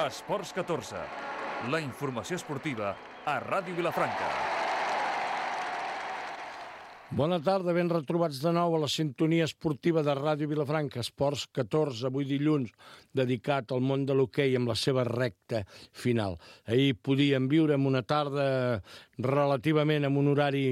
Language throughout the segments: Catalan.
Esports 14, la informació esportiva a Ràdio Vilafranca. Bona tarda, ben retrobats de nou a la sintonia esportiva de Ràdio Vilafranca. Esports 14, avui dilluns, dedicat al món de l'hoquei amb la seva recta final. Ahir podíem viure en una tarda relativament amb un horari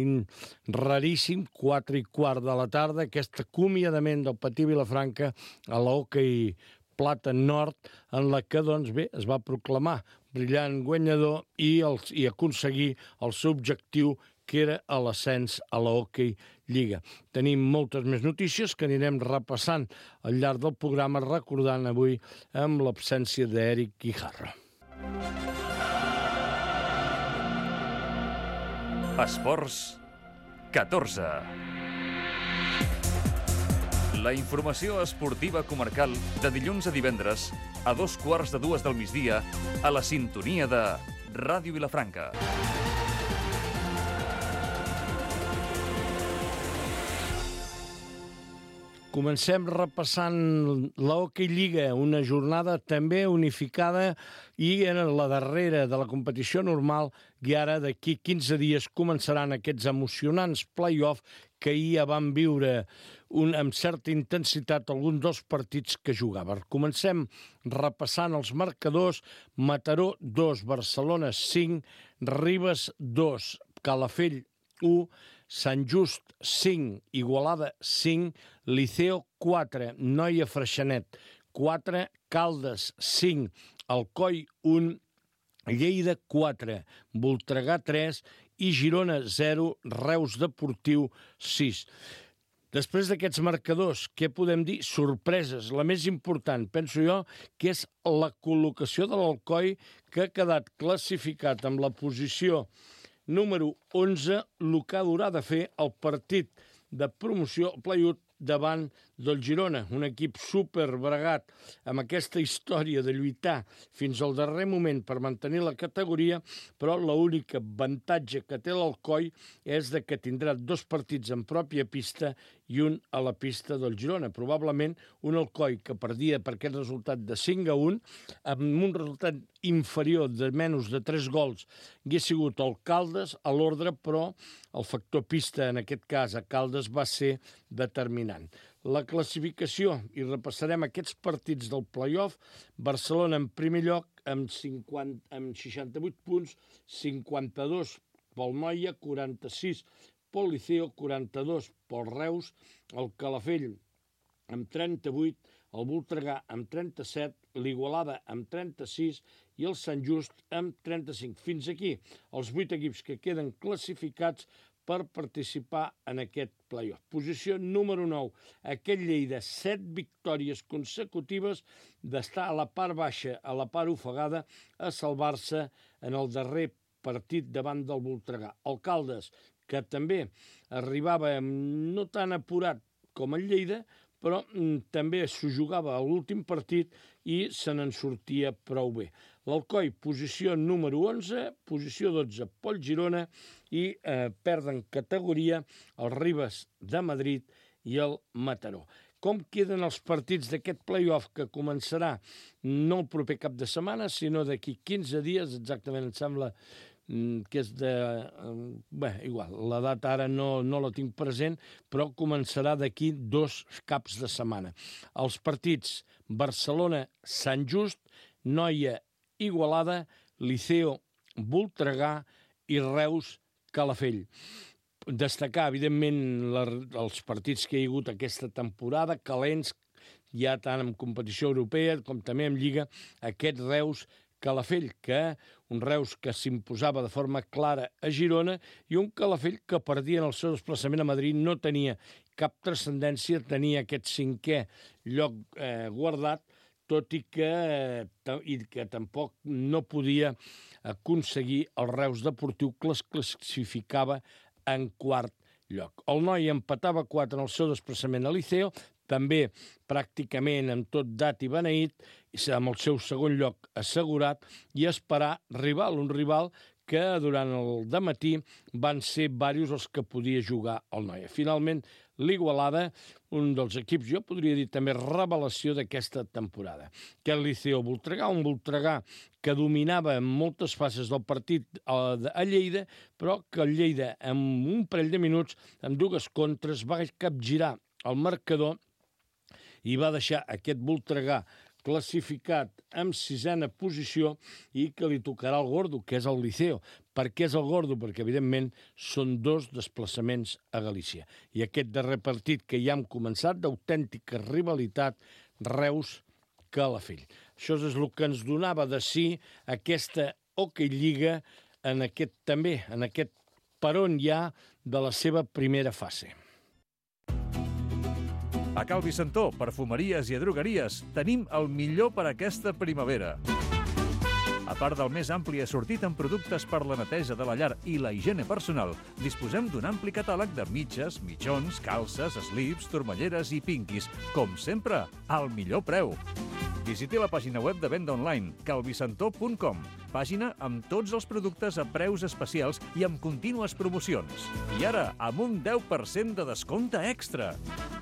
raríssim, 4:15 de la tarda, aquest acomiadament del Patí Vilafranca a l'hoquei Plata Nord, en la que, doncs bé, es va proclamar brillant guanyador i aconseguir el seu objectiu, que era l'ascens a la Hockey Lliga. Tenim moltes més notícies que anirem repassant al llarg del programa, recordant avui amb l'absència d'Eric Guijarro. Esports 14. La informació esportiva comarcal de dilluns a divendres a 2:15 del migdia a la sintonia de Ràdio Vilafranca. Comencem repassant la Hockey Lliga, una jornada també unificada i en la darrera de la competició normal, i ara d'aquí 15 dies començaran aquests emocionants play-off que ahir ja van viure amb certa intensitat alguns dels partits que jugaven. Comencem repassant els marcadors: Mataró 2, Barcelona 5, Ribes 2, Calafell 1, Sant Just 5, Igualada 5, Liceo 4, Noia Freixenet 4, Caldes 5, Alcoi 1, Lleida 4, Voltregà 3 i Girona 0, Reus Deportiu 6. Després d'aquests marcadors, què podem dir? Sorpreses. La més important, penso jo, que és la col·locació de l'Alcoi, que ha quedat classificat amb la posició número 11, el que haurà de fer el partit de promoció play-off davant del Girona, un equip superbregat amb aquesta història de lluitar fins al darrer moment per mantenir la categoria, però l'únic avantatge que té l'Alcoi és de que tindrà 2 partits en pròpia pista i un a la pista del Girona. Probablement un Alcoi que perdia per aquest resultat de 5-1, amb un resultat inferior de menys de 3 gols, hagués sigut el Caldes a l'ordre, però el factor pista, en aquest cas a Caldes, va ser determinant. La classificació, i repassarem aquests partits del play-off: Barcelona en primer lloc amb 68 punts, 52 pel Noia, 46 pel Liceo, 42 pel Reus, el Calafell amb 38, el Voltregà amb 37, l'Igualada amb 36 i el Sant Just amb 35. Fins aquí els 8 equips que queden classificats per participar en aquest play-off. Posició número 9, aquest Lleida, 7 victòries consecutives d'estar a la part baixa, a la part ofegada, a salvar-se en el darrer partit davant del Voltregà. El Caldes, que també arribava no tan apurat com el Lleida, però també s'ho jugava a l'últim partit i se n'en sortia prou bé. L'Alcoi, posició número 11, posició 12 pel Girona, i perden categoria el Ribes de Madrid i el Mataró. Com queden els partits d'aquest play-off que començarà no el proper cap de setmana, sinó d'aquí 15 dies, exactament em sembla que és de... Bé, igual, la data ara no la tinc present, però començarà d'aquí 2 caps de setmana. Els partits: Barcelona-Sant Just, Noia Igualada, Liceo Voltregà i Reus Calafell. Destacar, evidentment, els partits que hi ha hagut aquesta temporada, calents, ja tant en competició europea com també en Lliga, aquest Reus Calafell, un Reus que s'imposava de forma clara a Girona i un Calafell que perdia en el seu desplaçament a Madrid, no tenia cap transcendència, tenia aquest 5è lloc guardat, tot i que tampoc no podia aconseguir el Reus Deportiu, que es classificava en 4è lloc. El Noia empatava 4 en el seu desplaçament a Liceo, també pràcticament amb tot dat i beneït, amb el seu segon lloc assegurat, i esperar un rival que durant el dematí van ser diversos els que podia jugar el Noia. Finalment, l'Igualada, un dels equips, jo podria dir també revelació d'aquesta temporada. Que el Liceo Voltregà, un Voltregà que dominava en moltes fases del partit a Lleida, però que el Lleida, en un parell de minuts, amb 2 contres, va capgirar el marcador i va deixar aquest Voltregà classificat en 6a posició i que li tocarà el gordo, que és el Liceo. Per què és el gordo? Perquè, evidentment, són 2 desplaçaments a Galícia. I aquest darrer partit que ja hem començat, d'autèntica rivalitat, Reus-Calafell. Això és el que ens donava de si aquesta Hockey Lliga en aquest peron ja de la seva primera fase. A Cal Vicentó, perfumeries i drogueries, tenim el millor per aquesta primavera. A part del més ampli assortit en productes per la neteja de la llar i la higiene personal, disposem d'un ampli catàleg de mitges, mitjons, calces, slips, turmalleres i pinquis. Com sempre, al millor preu. Visiti la pàgina web de venda online, calvicentó.com, pàgina amb tots els productes a preus especials i amb contínues promocions. I ara, amb un 10% de descompte extra.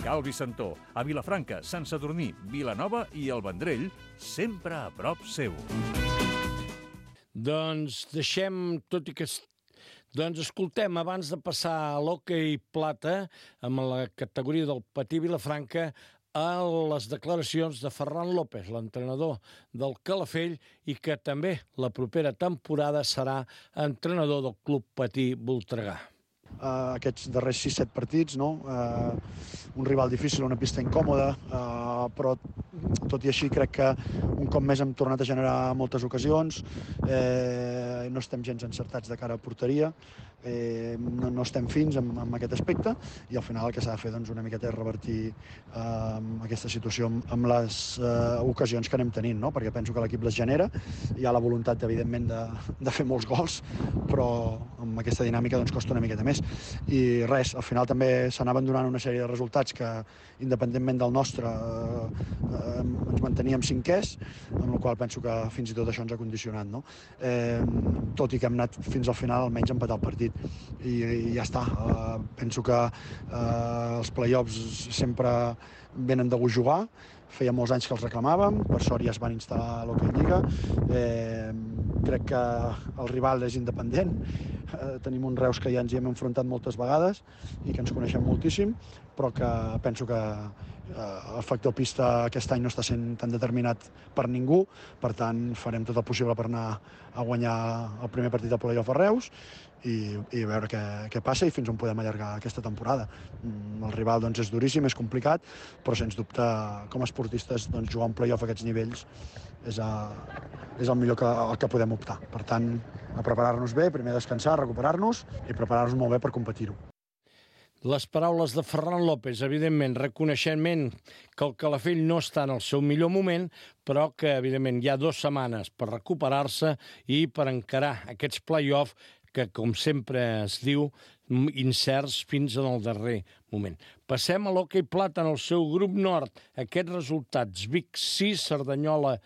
Cal Vicentó, a Vilafranca, Sant Sadurní, Vilanova i el Vendrell, sempre a prop seu. Doncs deixem, tot i que... Doncs escoltem, abans de passar a l'hoquei plata, amb la categoria del Patí Vilafranca, a les declaracions de Ferran López, l'entrenador del Calafell, i que també la propera temporada serà entrenador del Club Patí Voltregà. Aquests darrers 6-7 partits, no? Un rival difícil, una pista incòmoda, però tot i així crec que un cop més hem tornat a generar moltes ocasions, no estem gens encertats de cara a porteria, no estem fins en aquest aspecte i al final el que s'ha de fer doncs, una miqueta és revertir aquesta situació amb les ocasions que anem tenint, no? Perquè penso que l'equip les genera, hi ha la voluntat evidentment de fer molts gols, però amb aquesta dinàmica doncs, costa una miqueta més. I res, al final també s'anaven donant una sèrie de resultats que independentment del nostre ens manteníem cinquers, amb la qual penso que fins i tot això ens ha condicionat, no? Tot i que hem anat fins al final almenys a empatar el partit i ja està. Penso que els play-offs sempre venen de gust jugar, feia molts anys que els reclamàvem, per sort ja es van instal·lar a l'Hockey Lliga. Crec que el rival és independent, tenim un Reus que ja ens hi hem enfrontat moltes vegades i que ens coneixem moltíssim, però que penso que el factor pista aquest any no està sent tan determinat per ningú, per tant farem tot el possible per anar a guanyar el primer partit del play-off a Reus i veure què passa i fins on podem allargar aquesta temporada. El rival doncs, és duríssim, és complicat, però sens dubte com a esportistes doncs, jugar un play-off a aquests nivells és el millor que podem optar. Per tant, a preparar-nos bé, primer descansar, recuperar-nos i preparar-nos molt bé per competir-ho. Les paraules de Ferran López, evidentment, reconeixement que el Calafell no està en el seu millor moment, però que, evidentment, hi ha 2 setmanes per recuperar-se i per encarar aquests play-off que, com sempre es diu, incerts fins en el darrer moment. Passem a l'hoquei plata en el seu grup nord. Aquests resultats: Vic 6, Cerdanyola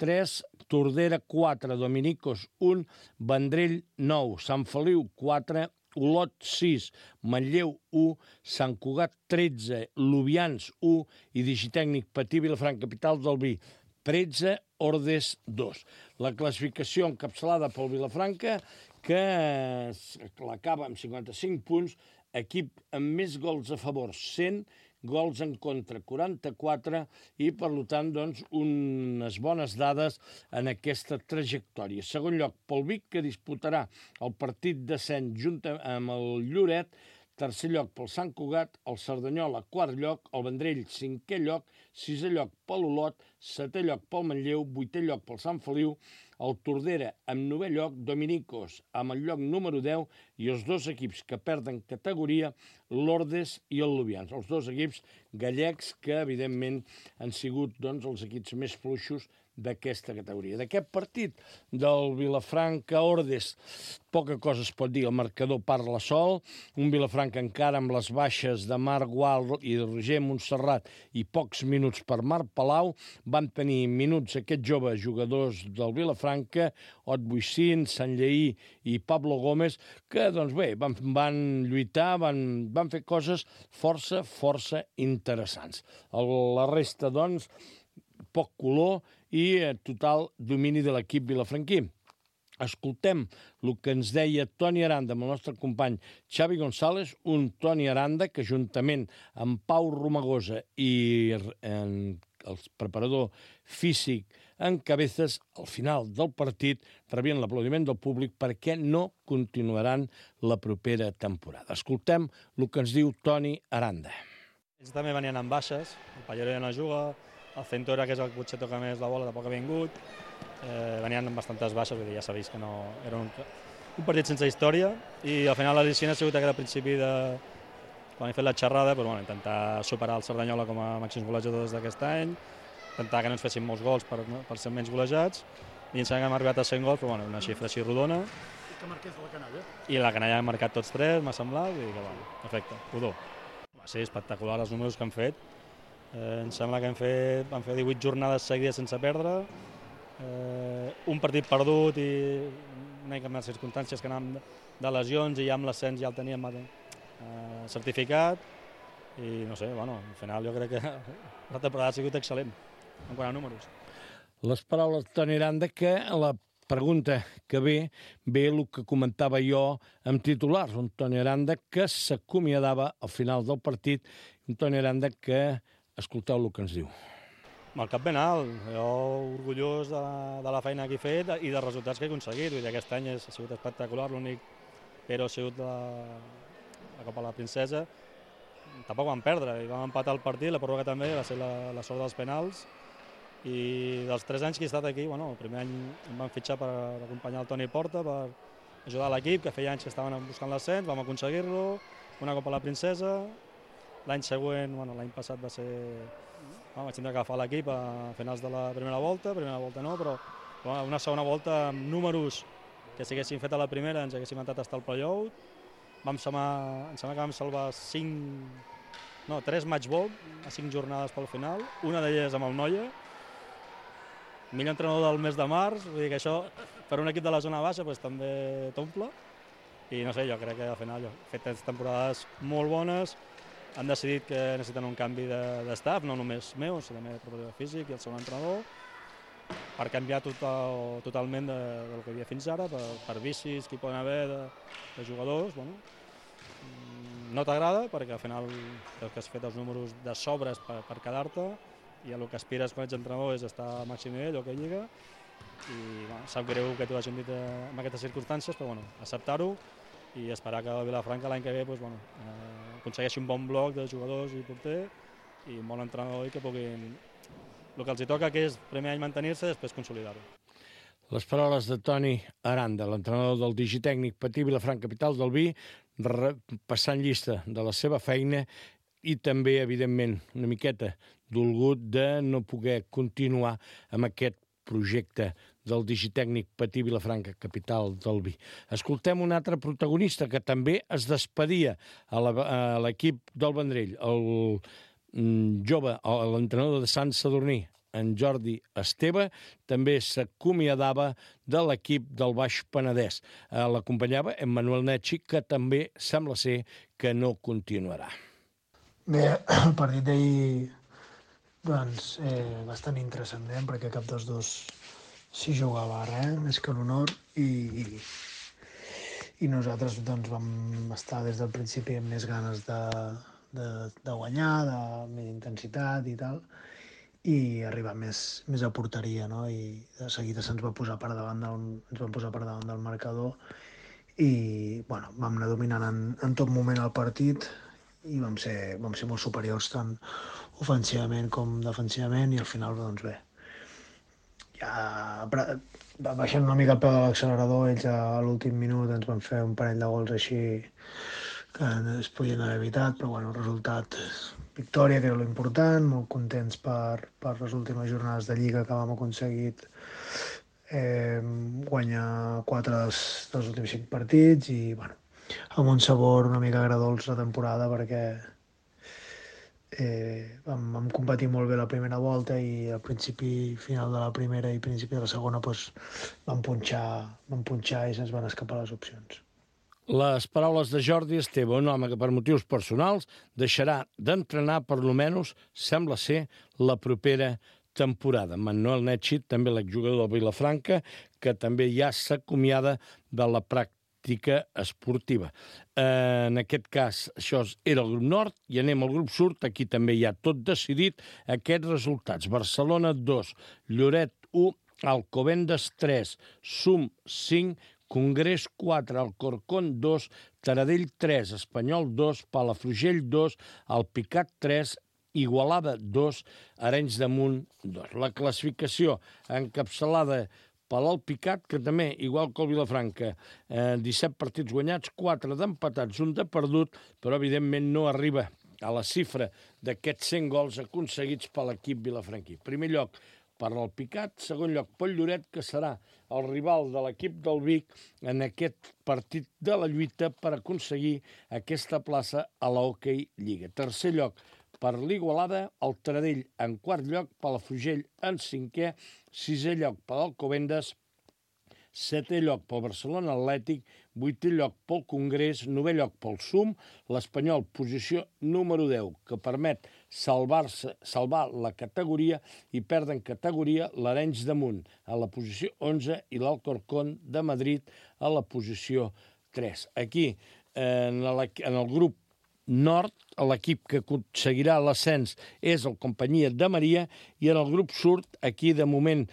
3, Tordera 4, Dominicos 1, Vendrell 9, Sant Feliu 4, Olot 6, Manlleu 1, Sant Cugat 13, Lubians 1 i Digitècnic Patí Vilafranca, capital del Vi, 13, Ordes 2. La classificació encapçalada pel Vilafranca, que l'acaba amb 55 punts, equip amb més gols a favor, 100, gols en contra, 44, i, per tant, doncs, unes bones dades en aquesta trajectòria. Segon lloc, pel Vic, que disputarà el partit d'ascens junt amb el Lloret. Tercer lloc pel Sant Cugat, el Cerdanyola, quart lloc, el Vendrell, 5è lloc, 6è lloc pel Olot, 7è lloc pel Manlleu, 8è lloc pel Sant Feliu, el Tordera amb 9è lloc, Dominicos amb el lloc número 10 i els 2 equips que perden categoria, l'Ordes i el Lubians. Els 2 equips gallecs que, evidentment, han sigut doncs, els equips més fluixos d'aquesta categoria. D'aquest partit del Vilafranca-Ordes, poca cosa es pot dir, el marcador parla sol, un Vilafranca encara amb les baixes de Marc Gual i de Roger Montserrat i pocs minuts per Marc Palau, van tenir minuts aquests joves jugadors del Vilafranca, Ot Buixín, Sant Lleí i Pablo Gómez, que doncs bé, van lluitar, van fer coses força interessants. La resta, doncs, poc color i total domini de l'equip vilafranquí. Escoltem el que ens deia Toni Aranda amb el nostre company Xavi González, un Toni Aranda que juntament amb Pau Romagosa i el preparador físic en Cabezas, al final del partit rebien l'aplaudiment del públic perquè no continuaran la propera temporada. Escoltem el que ens diu Toni Aranda. Ells també venien amb baixes, el Pallero ja no juga, el Centora, que és el que potser toca més la bola, tampoc ha vingut, venien amb bastantes baixes, vull dir, ja s'ha vist que no era un partit sense història, i al final l'al·licient ha sigut aquest principi de, quan he fet la xerrada, doncs, bueno, intentar superar el Cerdanyola com a màxims golejadors d'aquest any, intentar que no ens fessin molts gols per ser menys golejats, i ens hem arribat a 100 gols, però bueno, una xifra així rodona. I que marqués la canalla. I la canalla ha marcat tots tres, m'ha semblat, i que bueno, perfecte, rodó. Va ser espectacular els números que han fet. Em sembla que van fer 18 jornades seguides sense perdre, un partit perdut i una mica amb les circumstàncies que anàvem de lesions i ja amb l'ascens ja el teníem certificat i no sé, bueno, al final jo crec que la temporada ha sigut excel·lent en quant a números. Les paraules de Toni Aranda, que la pregunta que ve el que comentava jo amb titulars, un Toni Aranda que s'acomiadava al final del partit, un Toni Aranda que escolteu el que ens diu. Amb el cap ben alt, jo orgullós de la feina que he fet i dels resultats que he aconseguit. Vull dir, aquest any ha sigut espectacular, l'únic però ha sigut la Copa de la Princesa. Tampoc vam perdre, i vam empatar el partit, la pròrroga també, va ser la sort dels penals. I dels 3 anys que he estat aquí, bueno, el primer any em van fitxar per acompanyar el Toni Porta, per ajudar l'equip, que feia anys que estaven buscant l'ascens, vam aconseguir-lo, una Copa de la Princesa. L'any següent, bueno, l'any passat va ser... vaig tindre que agafar l'equip a finals de la primera volta no, però una segona volta amb números que si haguéssim fet a la primera ens haguéssim entrat a estar al play-out. Em sembla que vam salvar 3 match ball a 5 jornades pel final, una d'elles amb el Noia, millor entrenador del mes de març, vull dir que això per un equip de la zona baixa doncs, també t'omple. I no sé, jo crec que al final he fet 3 temporades molt bones, han decidit que necessiten un canvi d'estaf, no només meu, sinó també el preparador físic i el segon entrenador, per canviar totalment del que hi havia fins ara, per vicis que hi poden haver de jugadors. Bueno, no t'agrada perquè al final el que has fet els números de sobres per quedar-te i el que aspires quan ets entrenador és estar a màxim nivell o que lliga. I bueno, sap greu que t'ho hagin dit en aquestes circumstàncies, però bueno, acceptar-ho i esperar que el Vilafranca l'any que ve aconsegueixi un bon bloc de jugadors i porter i un bon entrenador i que puguin... El que els hi toca que és primer any mantenir-se i després consolidar-ho. Les paraules de Toni Aranda, l'entrenador del Digitècnic Patí Vilafranca Capital del Vi, passant llista de la seva feina i també, evidentment, una miqueta dolgut de no poder continuar amb aquest projecte del Digitècnic Patí Vilafranca Capital del Vi. Escoltem un altre protagonista que també es despedia a l'equip del Vendrell, el jove, l'entrenador de Sant Sadurní, en Jordi Esteve, també s'acomiadava de l'equip del Baix Penedès. L'acompanyava en Manuel Netxi, que també sembla ser que no continuarà. Bé, el partit d'ahir doncs, bastant intrascendent, perquè cap dels dos s'hi jugava res, més que l'honor, i nosaltres doncs, vam estar des del principi amb més ganes de guanyar, de més intensitat i tal, i arribar més a porteria, no? I de seguida se'ns va posar per davant del marcador i bueno, vam anar dominant en tot moment el partit i vam ser molt superiors tant ofensivament com defensivament i al final, doncs bé, ja baixant una mica el peu de l'accelerador, ells a l'últim minut ens van fer un parell de gols així que es podien haver evitat, però bueno, el resultat victòria, que era l'important, molt contents per les últimes jornades de Lliga que vam aconseguir guanyar 4 dels últims 5 partits i, bueno, amb un sabor una mica agredolç la temporada perquè vam competir molt bé la primera volta i al principi, final de la primera i principi de la segona vam punxar i se'ns van escapar les opcions. Les paraules de Jordi Esteve, un home que per motius personals deixarà d'entrenar per lo menys, sembla ser, la propera temporada. Manuel Netxi, també l'exjugador del Vilafranca, que també ja s'acomiada de la pràctica esportiva. En aquest cas, això era el grup nord, i anem al grup sud, aquí també hi ha tot decidit, aquests resultats. Barcelona 2, Lloret 1, Alcobendas 3, Sum 5, Congrés 4, Alcorcón 2, Taradell 3, Espanyol 2, Palafrugell 2, Alpicat 3, Igualada 2, Arenys de Munt 2. La classificació encapçalada per l'Alpicat, que també, igual que el Vilafranca, 17 partits guanyats, 4 d'empatats, 1 de perdut, però evidentment no arriba a la xifra d'aquests 100 gols aconseguits per l'equip vilafranquí. Primer lloc per l'Alpicat, segon lloc pel Lloret, que serà el rival de l'equip del Vic en aquest partit de la lluita per aconseguir aquesta plaça a l'Hockey Lliga. Tercer lloc per l'Igualada, el Taradell en quart lloc, Palafrugell en cinquè, sisè lloc per l'Alcobendas, setè lloc pel Barcelona Atlètic, vuitè lloc pel Congrés, novè lloc pel Sum, l'Espanyol, posició número 10, que permet salvar la categoria i perdre en categoria l'Arenys de Munt a la posició 11 i l'Alcorcón de Madrid a la posició 3. Aquí, en el grup nord, l'equip que aconseguirà l'ascens és el Companyia de Maria, i en el grup sud, aquí de moment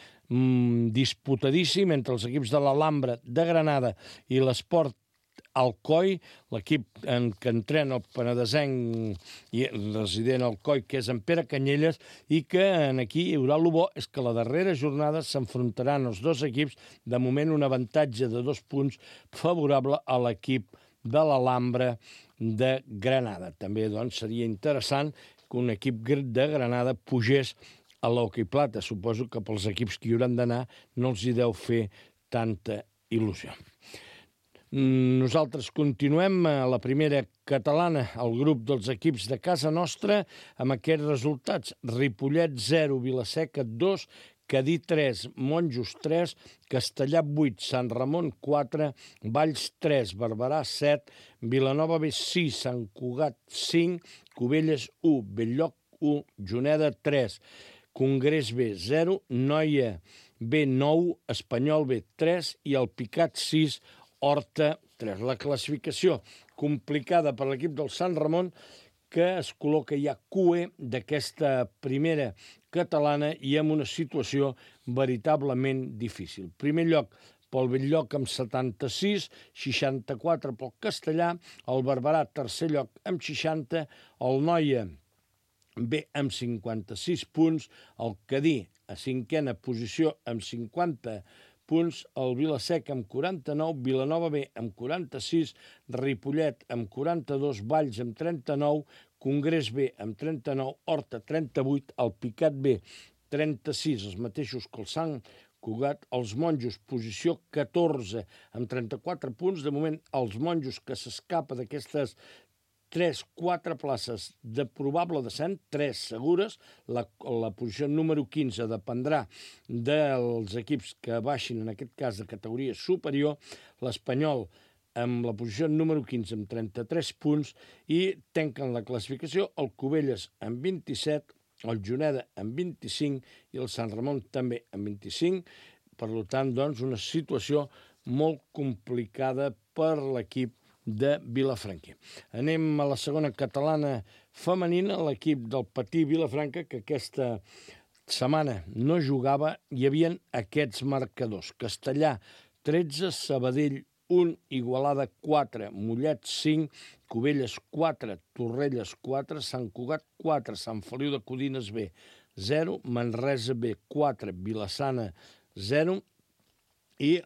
disputadíssim entre els equips de l'Alhambra de Granada i l'Esport Alcoi, l'equip que entrena el penedesenc i resident al Alcoi, que és en Pere Canyelles, i que aquí hi haurà el bo és que la darrera jornada s'enfrontaran els dos equips, de moment un avantatge de 2 punts favorable a l'equip de l'Alhambra de Granada. També doncs, seria interessant que un equip de Granada pugés a l'Hockey Plata. Suposo que pels equips que hi hauran d'anar no els hi deu fer tanta il·lusió. Nosaltres continuem a la primera catalana, el grup dels equips de casa nostra, amb aquests resultats. Ripollet 0, Vilaseca 2, Cadí 3, Monjos 3, Castellà 8, Sant Ramon 4, Valls 3, Barberà 7, Vilanova B 6, Sant Cugat 5, Cubelles 1, Belllloc 1, Juneda 3, Congrés B 0, Noia B 9, Espanyol B 3 i Alpicat 6, Horta 3. La classificació complicada per l'equip del Sant Ramon, que es col·loca ja QE d'aquesta primera catalana i amb una situació veritablement difícil. Primer lloc pel Belllloc amb 76, 64 pel Castellà, el Barberà tercer lloc amb 60, el Noia B amb 56 punts, el Cadí a cinquena posició amb 50 punts, el Vilaseca amb 49, Vilanova B amb 46, Ripollet amb 42, Valls amb 39, Congrés B amb 39, Horta 38, Alpicat B 36, els mateixos que el Sant Cugat, els Monjos posició 14 amb 34 punts, de moment els Monjos que s'escapa d'aquestes 3-4 places de probable descens, 3 segures, la posició número 15 dependrà dels equips que baixin, en aquest cas de categoria superior, l'Espanyol amb la posició número 15 amb 33 punts i tanquen la classificació el Cubelles amb 27, el Juneda amb 25 i el Sant Ramon també amb 25. Per tant, doncs, una situació molt complicada per l'equip de Vilafranca. Anem a la segona catalana femenina, l'equip del Patí Vilafranca, que aquesta setmana no jugava. Hi havia aquests marcadors: Castellà 13, Sabadell 1, Igualada 4, Mollet 5, Cubelles 4, Torrelles 4, Sant Cugat 4, Sant Feliu de Codines B 0, Manresa B 4, Vilassana 0, i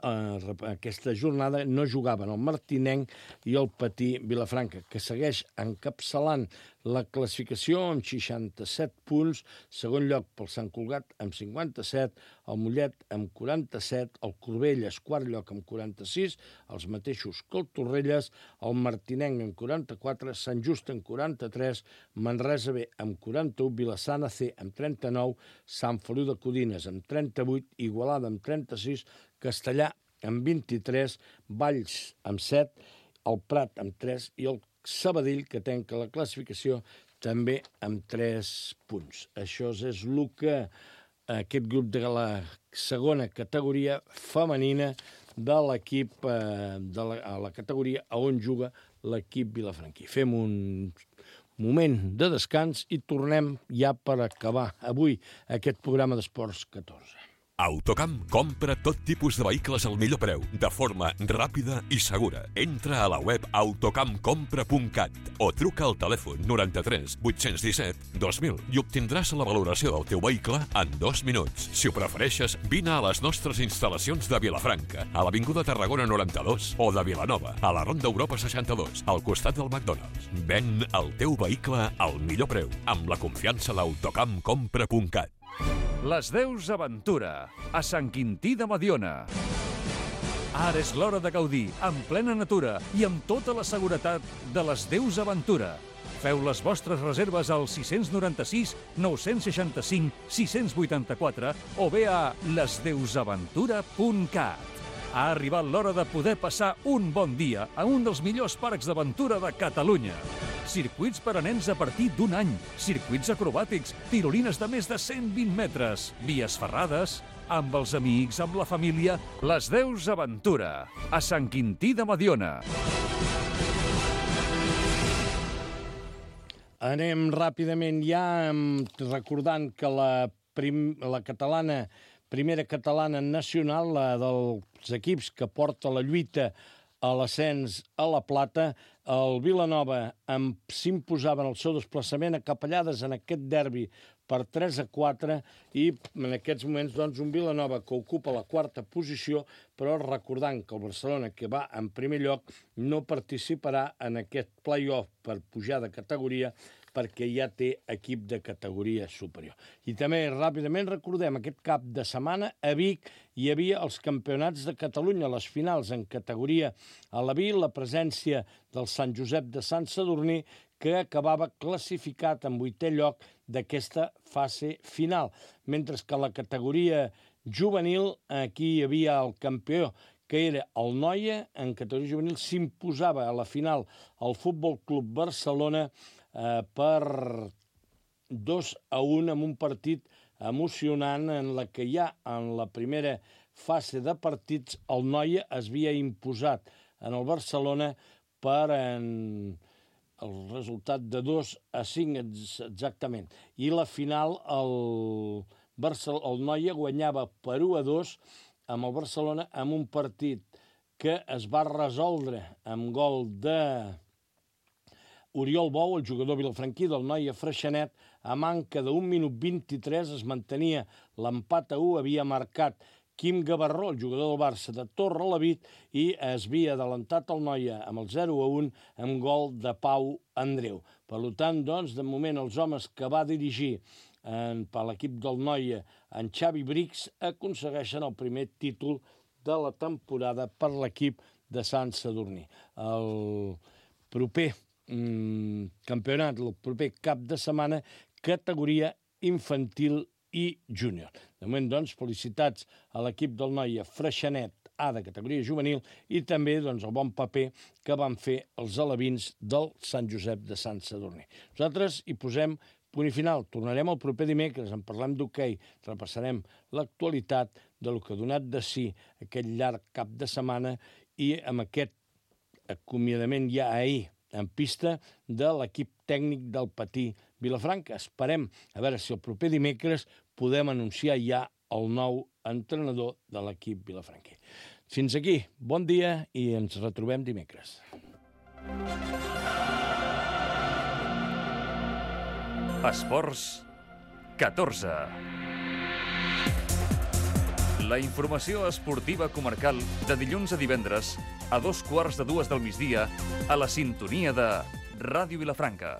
aquesta jornada no jugaven el Martinenc i el Patí Vilafranca, que segueix encapçalant la classificació amb 67 punts, segon lloc pel Sant Cugat amb 57, el Mollet amb 47, el Corbelles, quart lloc amb 46, els mateixos que el Torrelles, el Martinenc amb 44, Sant Just amb 43, Manresa B amb 41, Vilassana C amb 39, Sant Feliu de Codines amb 38, Igualada amb 36, Castellà amb 23, Valls amb 7, el Prat amb 3 i el Sabadell, que tanca la classificació, també amb 3 punts. Això és el que aquest grup de la segona categoria femenina de l'equip, a la categoria on juga l'equip vilafranquí. Fem un moment de descans i tornem ja per acabar avui aquest programa d'Esports 14. Autocamp compra tot tipus de vehicles al millor preu, de forma ràpida i segura. Entra a la web autocampcompra.cat o truca al telèfon 93 817 2000 i obtindràs la valoració del teu vehicle en 2 minuts. Si ho prefereixes, vine a les nostres instal·lacions de Vilafranca, a l'Avinguda Tarragona 92 o de Vilanova, a la Ronda Europa 62, al costat del McDonald's. Ven el teu vehicle al millor preu, amb la confiança d'autocampcompra.cat. Les Deus Aventura, a Sant Quintí de Mediona. Ara és l'hora de gaudir, en plena natura i amb tota la seguretat de les Deus Aventura. Feu les vostres reserves al 696 965 684 o bé a lesdeusaventura.cat. Ha arribat l'hora de poder passar un bon dia a un dels millors parcs d'aventura de Catalunya. Circuits per a nens a partir d'1 any, circuits acrobàtics, tirolines de més de 120 metres, vies ferrades, amb els amics, amb la família. Les Deus Aventura, a Sant Quintí de Mediona. Anem ràpidament ja recordant que la catalana, primera catalana nacional, la dels equips que porta la lluita a l'ascens a la plata, el Vilanova s'imposava en el seu desplaçament a Capellades en aquest derbi per 3-4 i en aquests moments doncs, un Vilanova que ocupa la quarta posició, però recordant que el Barcelona, que va en primer lloc, no participarà en aquest play-off per pujar de categoria perquè ja té equip de categoria superior. I també, ràpidament, recordem, aquest cap de setmana a Vic hi havia els campionats de Catalunya, les finals en categoria a la Vic, la presència del Sant Josep de Sant Sadurní, que acabava classificat en 8è lloc d'aquesta fase final. Mentre que a la categoria juvenil, aquí hi havia el campió, que era el Noia, en categoria juvenil s'imposava a la final el Futbol Club Barcelona per 2-1 en un partit emocionant en la que ja en la primera fase de partits el Noia es havia imposat en el Barcelona per el resultat de 2-5 exactament. I la final el Noia guanyava per 1-2 amb el Barcelona en un partit que es va resoldre amb gol de Oriol Bou, el jugador vilafranquí del Noia Freixenet, a manca d'1 minut 23 es mantenia l'empat a 1, havia marcat Quim Gavarró, el jugador del Barça de Torrelavit, i es havia adelantat el Noia amb el 0-1 amb gol de Pau Andreu. Per tant, doncs, de moment els homes que va dirigir per l'equip del Noia, en Xavi Brix, aconsegueixen el primer títol de la temporada per l'equip de Sant Sadurní. El proper campionat, el proper cap de setmana, categoria infantil i júnior. De moment, doncs, felicitats a l'equip del Noia Freixenet A de categoria juvenil i també doncs, el bon paper que van fer els alevins del Sant Josep de Sant Sadurní. Nosaltres hi posem punt i final. Tornarem el proper dimecres, en parlem d'hoquei, repassarem l'actualitat del que ha donat de si aquest llarg cap de setmana i amb aquest acomiadament ja ahir en pista de l'equip tècnic del Patí Vilafranca. Esperem a veure si el proper dimecres podem anunciar ja el nou entrenador de l'equip vilafranquí. Fins aquí, bon dia i ens retrobem dimecres. Esports 14. La informació esportiva comarcal de dilluns a divendres a 2:15 del migdia a la sintonia de Ràdio Vilafranca.